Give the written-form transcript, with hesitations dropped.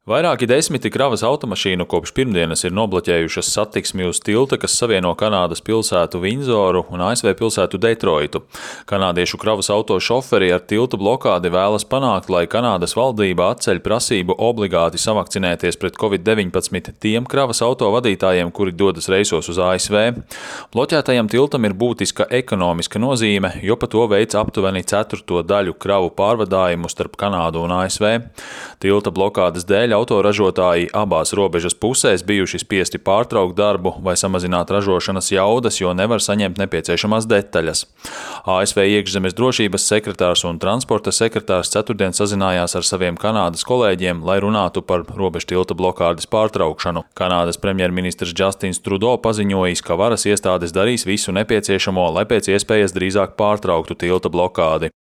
Vairāki desmiti kravas automašīnu kopš pirmdienas ir nobloķējušas satiksmi uz tilta, kas savieno Kanādas pilsētu Vindzoru un ASV pilsētu Detroitu. Kanādiešu kravas auto šoferi ar tilta blokādi vēlas panākt, lai Kanādas valdība atceļ prasību obligāti savakcinēties pret Covid-19 tiem kravas auto vadītājiem, kuri dodas reisos uz ASV. Bloķētajam tiltam ir būtiska ekonomiska nozīme, jo pa to veic aptuveni ceturto daļu kravu pārvadājumu starp Kanādu un ASV. Tilta blokādes dēļ autoražotāji abās robežas pusēs bijuši spiesti pārtraukt darbu vai samazināt ražošanas jaudas, jo nevar saņemt nepieciešamās detaļas. ASV iekšzemes drošības sekretārs un transporta sekretārs ceturtdien sazinājās ar saviem Kanādas kolēģiem, lai runātu par robežtilta blokādes pārtraukšanu. Kanādas premjerministrs Justins Trudeau paziņojis, ka varas iestādes darīs visu nepieciešamo, lai pēc iespējas drīzāk pārtrauktu tilta blokādi.